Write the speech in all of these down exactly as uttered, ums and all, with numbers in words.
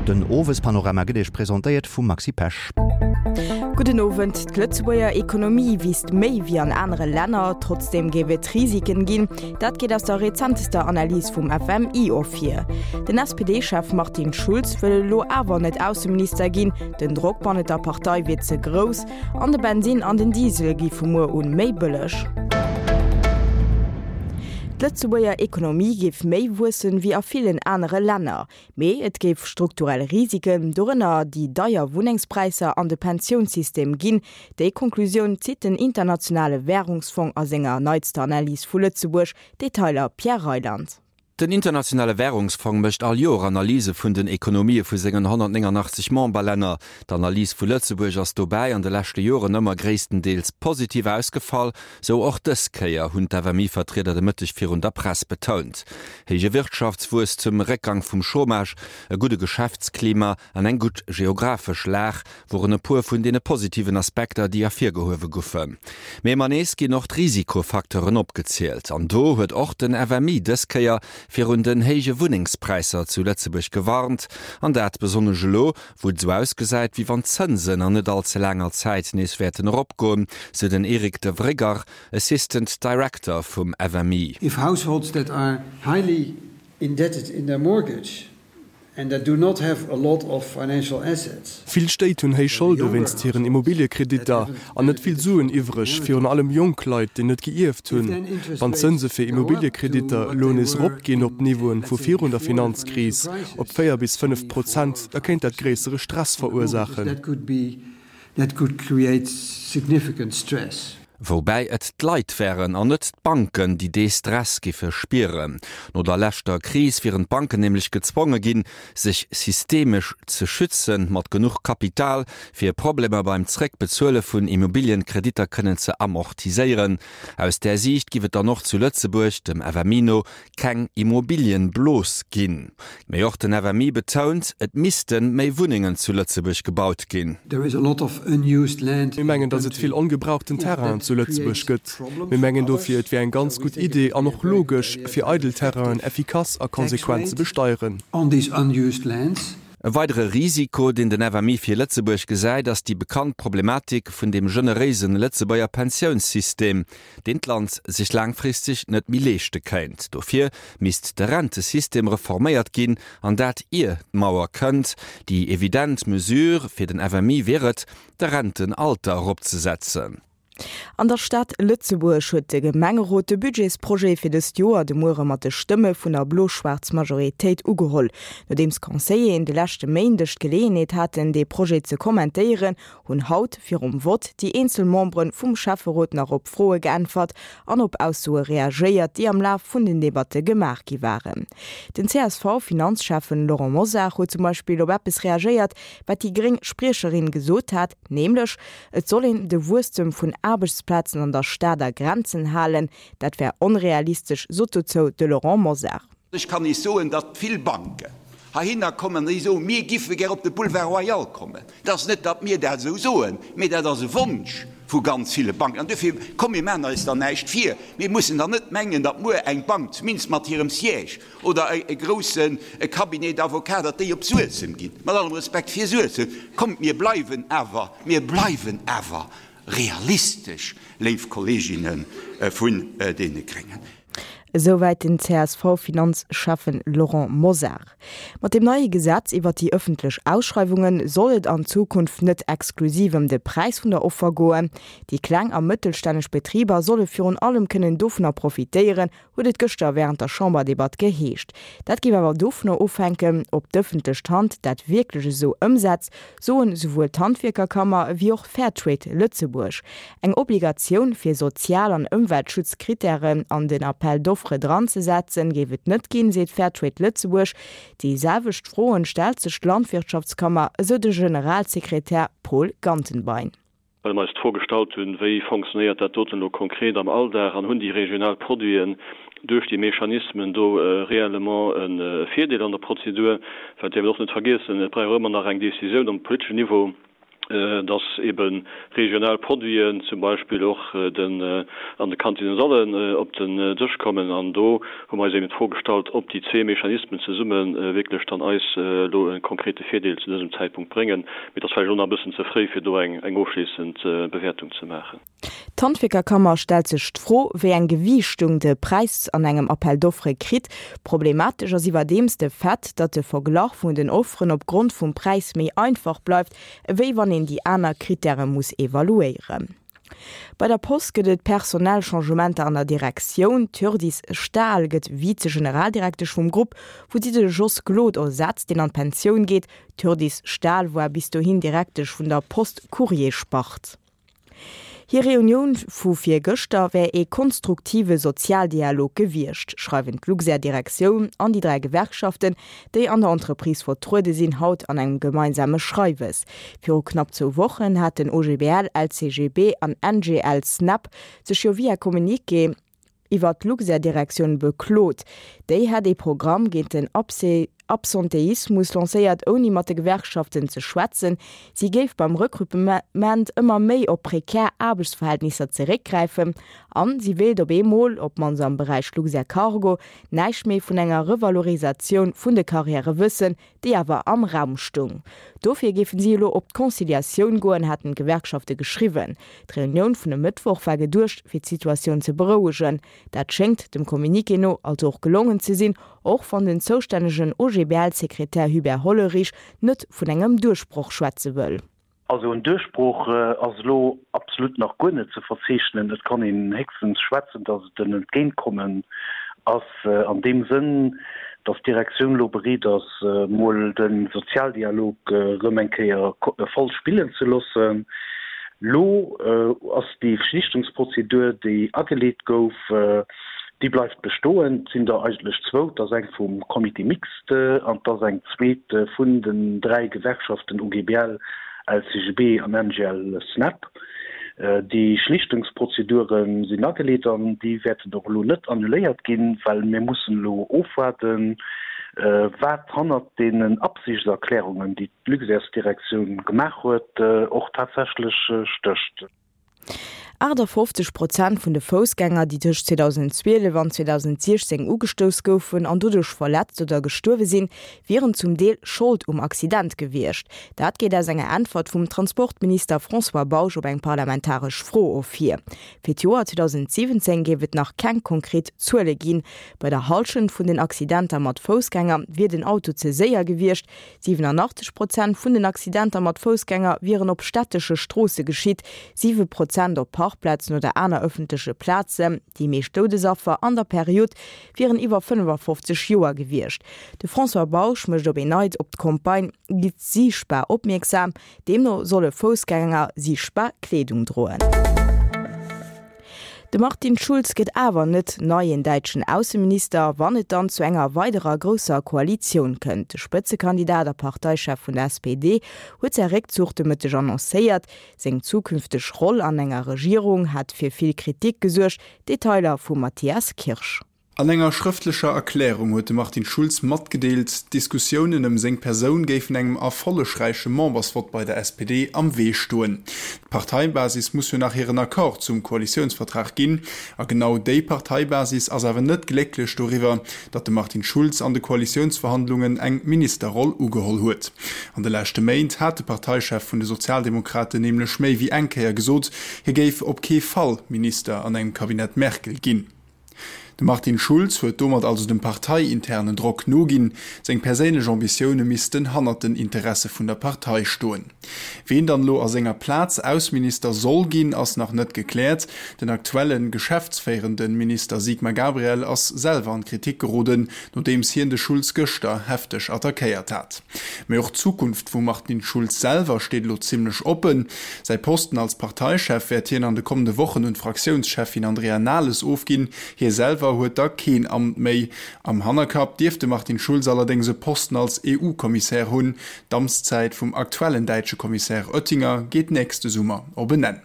Den Owespanorama gëtt Iech presentéiert vum Maxi Pesch. Gudden Owend. D'Lëtzebuerger Ekonomie wiisst méi wéi an anere Länner, trotzdeem géif et Risiken ginn. Dat geet aus der rezentester Analys vum F M I ervir. Den S P D-Chef Martin Schulz wëll elo awer net Ausseminister ginn, den Drock bannent der Partei wier ze grouss. An de Bensinn an den Diesel gi vu muer un méi bëlleg. D'Lëtzebuerger Ekonomie géif méi wuessen wéi a villen anere Länner. Mee et géif strukturell Risiken, dorënner déi deier Wunnengspräisser an de Pensiounssystem ginn. Déi Konklusioun zitt den internationale Wärungsfong a senger neitster Analys vu Lëtzebuerg. Detailer Pierre Reyland. Den internationale Wärungsfong mécht all Joer Analyse vun den Ekonomië vu sengen honnertnénganachtzeg Memberlänner. D'Analys vu Lëtzebuerg ass dobäi an de leschte Joren ëmmer gréisstendeels positiv ausgefall, sou och dës Kéier, hunn d'F M I-Vertrieder de Mëtteg virun der Press betount. Héije Wirtschaftswuesstem, Réckgang vum Chômage, e gudde Geschäftsklima an eng gutt geografesch Lag woren e puer vun deene positiven Aspekter, déi ervirgehuewe goufen. Mee ëmmer nees ginn och d'Risikofacteuren opgezielt. An do huet och den F M I dës Kéier virun den héije Wunnengspräisser zu Lëtzebuerg gewarnt, an dat besonnesch elo, wou et sou ausgesäit, wéi wann d'Zënsen an net all ze laanger Zäit nees wäerten eropgoen, sou den Eric de Vrygar, Assistant Director vum F M I. If households that are highly indebted in their mortgage and that do not have a lot of financial assets. Vill Stéit hunn héich Scholde wéinst hiren Immobiliekreditter an net vill Suen iwwreg, virun allem jonk Leit, déi net geierft hunn. Wann d'Zënse fir Immobiliekreditter elo nees eropginn op Niveauen vu virun der Finanzkris, op véier bis fënnef Prozent, da kéint dat gréissere Stress verursaachen. That could be that could create significant stress. Woubäi et d'Leit wären an net d'Banken, déi dee Stress giffe spieren. No der leschter Kris wieren d'Banken nämlech gezwonge ginn, sech systemesch ze schützen, mat genuch Kapital, fir Problemer beim Zréckbezuele vun Immobilienkreditter kënnen ze amortiséieren. Aus där Siicht giff et dann och zu Lëtzebuerg, dem F M I no, keng Immobilienblos ginn. Mee och den F M I betount, et misste méi Wunnengen zu Lëtzebuerg gebaut ginn. There is a lot of unused land. Mir mengen, datt et vill ongebrauchten Terrainen zu Lëtzebuerg gëtt. Mir mengen dofir, et wier eng ganz gutt Idee an och logesch, fir eidel Terrainen effikass a konsequent ze besteieren. On these unused lands. E weidere Risiko, deen den F M I fir Lëtzebuerg gesäit, ass déi bekannt Problematik vun dem generéise Lëtzebuerger Pensiounssystem, deen d'Land sech laangfristeg net méi leeschte kéint. Dofir misst de Rentesystem reforméiert ginn, an dat ier d'Mauer kënnt. Déi evident Mesure fir den F M I wier et, de Rentenalter eropzesetzen. An der Stad Lëtzebuerg huet de Gemengerot de Budgetsprojet fir dëst Joer de Muere mat de Stëmme vun der blo-schwaarzer Majoritéit ugeholl. Nodeems d'Conseilleren de leschte Méindeg d'Geleeënheet haten, de Projet ze kommentéieren, hunn haut virum Vott déi eenzel Membere vum Schäfferot nach op Froe geäntwert an op Aussoe reagéiert, déi am Laf vun den Debatte gemaach gi waren. Den C S V-Finanzschäffen Laurent Mosar huet zum Beispill op eppes reagéiert, wat déi gréng Spriecherin gesot hat, nämlech et soll een de Wuesstem vun Aarbechtsplazen an der Stad a Grenzen halen, dat wär onrealistesch, sot dozou de Laurent Mosar. Ech kann Iech soen, datt vill Banken heihinner kommen, déi soen, mir giffe gär op de Boulevard Royal kommen. Dat ass net, datt mir dat esou soen, mee dat ass e Wonsch vu ganz ville Banken. An dofir, komm, mir maachen eis dann näischt vir. Mir mussen dann net mengen, datt muer eng Bank, zumindest mat hirem Siège, oder e grousse Cabinet d'avocats, datt déi op Suessem ginn. Mat allem Respekt fir Suessem, kommt, mir bleiwen awer, mir bleiwen awer realistesch, léif Kolleeginne vun deene Gréngen. Esouwäit den C S V-Finanzschäffen Laurent Mosar. Mat dem neie Gesetz iwwer déi ëffentlech Ausschreiwunge soll et an Zukunft net exklusiv ëm de Präis vun der Offer goen. Déi kleng a mëttelstänneg Betriber solle virun allem kënnen dovunner profitéieren, huet et gëschter wärend der Chamberdebatt geheescht. Dat géif awer dovunner ofhänken, ob d'ëffentlech Hand dat wierklech esou ëmsetzt, soen esouwuel d'Handwierkerkammer wéi och Fairtrade Lëtzebuerg. Eng Obligatioun fir Sozial- an Ëmweltschutzkrittären an den Appel d'offres dranzesetzen, géif et net ginn, seet Fairtrade Lëtzebuerg. Déi selwecht Froen stellt sech d'Landwirtschaftskammer, esou de Generalsekretär Paul Gantenbein. Well mir eis d'Fro gestallt hunn, wéi funktionéiert dat doten elo konkret am Alldag an hunn déi regional Produiten duerch déi Mechanismen do réellement e Virdeel an der Prozedur, well däerf een och net vergiessen, et brauch ëmmer nach eng Decisioun um politeschen Niveau, dass ebe regional Produiten zum Beispill och den an de Kantinnen sollen op den Dësch kommen. An do hu mer eis eben d'Fro gestallt, ob déi zwee Mechanismen zesumme wierklech dann eis elo e konkrete Virdeel zu dësem Zäitpunkt bréngen. Mee et ass vläicht elo nach e bëssen ze fréi, fir do eng ofschléissend Bewäertung ze maachen. D'Handwierkerkammer stellt sech d'Fro, wéi eng Gewiichtung de Präis an engem Appel d'offres kritt. Problematesch ass iwwerdeems de Fait, datt de Verglach vun den Offeren opgrond vum Präis méi einfach bleift, ewéi wann een déi aner Krittäre muss evaluéieren. Bei der Post gëtt et personell Changementer an der Direktioun. D'Hjördis Stahl gëtt Vize-Generaldirektesch vum Grupp, wou si de Jos Glod ersetzt, deen an d'Pensioun geet. D'Hjördis Stahl war bis dohin Direktesch vun der Post-Courrier-Spart. Hir Reunioun vu virgëschter wär ee konstruktive Sozialdialog gewiescht, schreiwen d'Luxair-Direktioun an déi dräi Gewerkschaften, déi an der Entreprise vertruede sinn, haut an engem gemeinsame Schreiwes. Viru knapp zwou Wochen haten O G B L, L C G B an N G L Snap sech jo via Communiqué iwwer d'Luxair-Direktioun beklot. Déi hätt ee Programm géint den Absenteismus lancéiert, ouni mat de Gewerkschaften ze schwätzen. Si géif beim Rekrutement ëmmer méi op prekär Aarbechtsverhältnisser zeréckgräifen an si wéilt op eemol, op d'mannst am Beräich Luxair Cargo, näischt méi vun enger Revalorisatioun vun de Karriäre wëssen, déi awer am Raum stoung. Dofir géifen si elo op d'Conciliatioun goen, haten d'Gewerkschafte geschriwwen. D'Reunioun vun e Mëttwoch war geduecht, fir d'Situatioun ze berouegen. Dat schéngt dem Communiqué no also och gelongen ze sinn, och wann den zoustännegen O G B L-Sekretär Hubert Hollerich net vun engem Duerchbroch schwätze wëll. Also en Duerchbroch ass elo absolut nach guer net ze verzeechnen. Et kann een héchstens schwätzen, datt et en Entgéintkommen ass an deem Sënn, datt d'Direktioun elo bereet ass, mol de Sozialdialog erëm eng Kéier voll spillen ze loossen. Lo ass déi Schlichtungsprozedur, déi ageleet gouf, déi bleift bestoen. Et sinn der eigentlech zwou, et ass eng vum Comité mixte an et ass eng zweet vun den dräi Gewerkschaften O G B L, L C G B an N G L Snap. Déi Schlichtungsprozedure sinn ageleet an déi wäerten och elo net annuléiert ginn, well mir mussen elo ofwaarden, wat hannert deenen Absichtserklärungen, déi d'Luxairsdirektioun gemaach huet, och tatsächlech stécht. achtafofzeg Prozent vun de Foussgänger, déi tëscht zweedausendzwielef an zweedausensiechzéng ugestouss goufen an doduerch verletzt oder gestuerwe sinn, wieren zum Deel Schold um Accident gewiescht. Dat geet aus enger Äntwert vum Transportminister François Bausch op eng parlamentaresch Fro ervir. Fir d'Joer zweedausensiwwenzéng géif et nach keng konkret Zuele ginn. Bei der Hallschent vun den Accidenter mat Foussgänger wier den Auto ze séier gewiescht. Siwenanachtzeg Prozent vun den Accidenter mat Foussgänger wieren op stättesche Stroosse geschitt, siwe Prozent op Parkplazen oder aner ëffentleche Plazen. Déi meescht Doudesaffer an der Period wieren iwwer fënnefafofzeg Joer gewiescht. De François Bausch mécht op en Neits op d'Campagne Gitt siichtbar opmierksam. Deemno solle Foussgänger siichtbar Kleedung droen. De Martin Schulz gëtt awer net neien däitschen Ausseminister, wann et dann zu enger weiderer grousser Koalitioun kënnt. De Spëtzekandidat a Parteichef vun der S P D huet säi Réckzuch de Mëtteg annoncéiert. Seng zukünfteg Roll an enger Regierung hat fir vill Kritik gesuergt. Detailer vum Matthias Kirsch. An enger schrëftlecher Erklärung huet de Martin Schulz matgedeelt, d'Diskussiounen ëm seng Persoun géifen engem erfollegräiche Membersvott bei der S P D am Wee stoen. D'Parteibasis muss jo nach hiren Accord zum Koalitiounsvertrag ginn. A genau déi Parteibasis ass awer net glécklech doriwwer, datt de Martin Schulz an de Koalitiounsverhandlungen eng Ministerroll ugeholl huet. An de leschte Méint hat de Parteichef vun de Sozialdemokraten nämlech méi wéi eng Kéier gesot, hie géif op kee Fall Minister an engem Cabinet Merkel ginn. De Martin Schulz huet domat also dem parteiinternen Drock noginn, seng perséinlech Ambitioune missten hannert den Interesse vun der Partei stoen. Ween dann elo a senger Plaz Ausseminister soll ginn, ass nach net gekläert. Den aktuelle geschäftsféierende Minister Sigmar Gabriel ass selwer an d'Kritik geroden, nodeems hien de Schulz gëschter hefteg attackéiert hat. Mee och d'Zukunft vum Martin Schulz selwer steet elo zimmlech oppen. Säi Posten als Parteichef wäert hien an de kommende Wochen un d'Fraktiounscheffin Andrea Nahles ofginn. Hie selwer huet da keen Amt méi. Am Hannerkapp dierft de Martin Schulz allerdéngs e Posten als E U-Kommissär hunn. D'Amtszäit vum aktuellen däitsche Kommissär Oettinger geet nächste Summer op en Enn.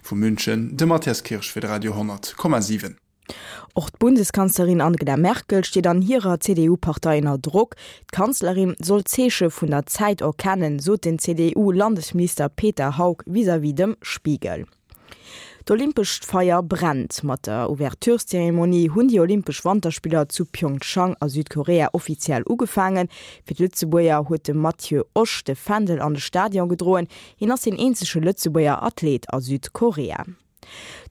Vu München, de Matthias Kirsch fir de Radio honnert Komma siwen. Och d'Bundeskanzlerin Angela Merkel steet an hirer CDU-Partei ënner Drock. D'Kanzlerin soll d'Zeeche vun der Zäit erkennen, sot den CDU-Landesminister Peter Haug vis-à-vis dem Spiegel. D'olympescht Feier brennt. Mat der Ouvertureszeremonie hunn déi Olympesch Wanterspiller zu Pyeongchang a Südkorea offiziell ugefaangen. Fir d'Lëtzebuerger huet de Matthieu Osch de Fändel an de Stadion gedroen. Hien ass deen eenzege Lëtzebuerger Athlet a Südkorea.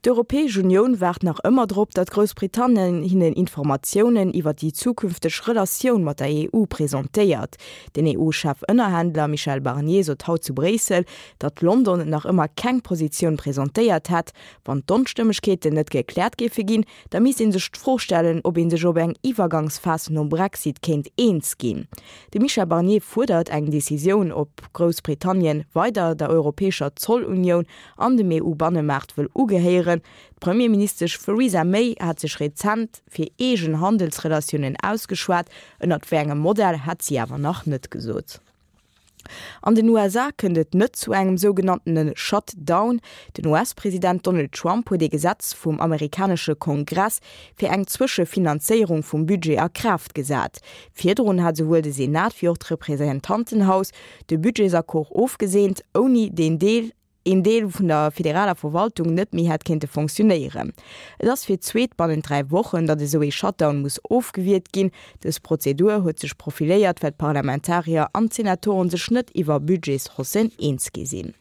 D'Europäesch Unioun waart nach ëmmer drop, datt Groussbritannien hinnen Informatiounen iwwer déi zukünfteg Relatioun mat der EU presentéiert. Den EU-Chefënnerhändler Michel Barnier sot haut zu Bréissel, datt London nach ëmmer keng Positioun presentéiert hätt. Wann d'Onstëmmegkeeten net gekläert géife ginn, da misst ee sech d'Fro stellen, ob ee sech op eng Iwwergangsphas nom Brexit kéint eens ginn. De Michel Barnier fuerdert eng Decisioun, ob Groussbritannien weider der Europäescher Zollunioun an dem EU-Bannemaart wëll ugehéieren. D'Premierministesch Theresa May hat sech rezent fir eegen Handelsrelatiounen ausgeschwat, ënnert wéi engem Modell hat si awer nach net gesot. An den USA kënnt et net zu engem sougenanntene Shutdown. Den US-President Donald Trump huet ee Gesetz vum amerikanesche Kongress fir eng Zwëschefinanzéierung vum Budget a Kraaft gesat. Virdrun hat souwuel de Senat wéi och d'Representantenhaus de Budgetsaccord ofgeseent, ouni deen Deel een Deel vun der federaler Verwaltung net méi hätt kéinte fonctionnéieren. Et ass fir d'zweet bannent dräi Wochen, datt esou ee Shutdown muss ofgewiert ginn. Dës Prozedur huet sech profiléiert, well d'Parlamentarier an d'Senatoren sech net iwwer Budgetshaussen eens gi sinn.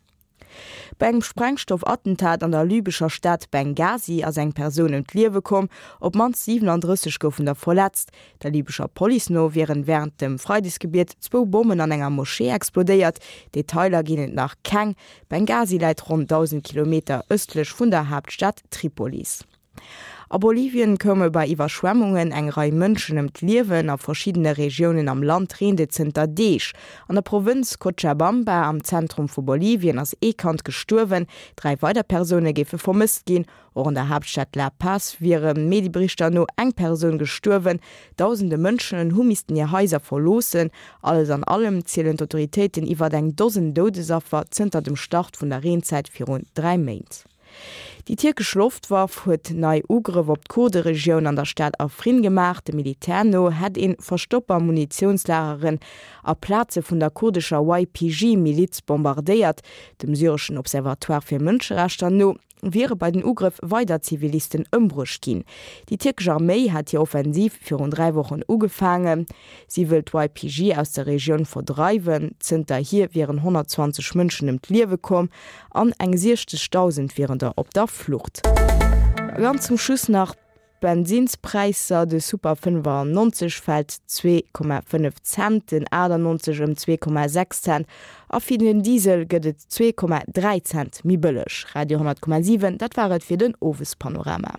Bei engem Sprengstoffattentat an der libyscher Stad Benghazi ass eng Persoun ëm d'Liewe komm, op d'mannst siwenandrësseg goufen der verletzt. Der libyscher Police no wieren wärend dem Freidesgebiet zwou Bommen an enger Moschee explodéiert, Detailer ginn et nach keng. Benghazi läit ronn dausend Kilometer ëstlech vun der Haaptstad Tripolis. A Bolivien koume bei Iwwerschwemmungen eng Rei Mënschen ëm d'Liewen. A verschiddene Regiounen am Land reent et zënter Deeg. An der Provënz Cochabamba am Zentrum vu Bolivien ass ee Kand gestuerwen, dräi weider Persoune géife vermësst ginn. Och an der Haaptstad La Paz wiere Medieberichter no eng Persoun gestuerwen. Dausende Mënschen hu missten hir Haiser verloossen. Alles an allem zielen d'Autoritéiten iwwer eng Dosen Doudesaffer zënter dem Start vun der Reenzäit virun dräi Méint. Déi tierkesch Loftwaff huet nei Ugrëff op d'Kurderegioun an der Stad Afrin gemaach. Dem Militär no hätt ee Verstopper, Munitiounslageren a Plaze vun der kurdescher Y P G-Miliz bombardéiert. Dem syreschen Observatoire fir Mënscherechter no wiere bei den Ugrëff weider Zivilisten ëmbruecht ginn. Déi tierkesch Arméi hat hir Offensiv virun dräi Wochen ugefaangen. Si wëll d'Y P G aus der Regioun verdreiwen. Zënterhier wieren honnertzwanzeg Mënschen ëm d'Liewe komm an eng siechzegdausend wieren der op der Flucht. Ganz zum Schluss nach d'Bensinnspräisser, De Super fënnefannonzeg fält zwee Komma fënnef Cent, den achtannonzeg ëm zwee Komma sechs Cent a fir den Diesel gëtt et zwee Komma dräi Cent méi bëlleg. Radio honnert Komma siwen, dat war et fir den Owespanorama.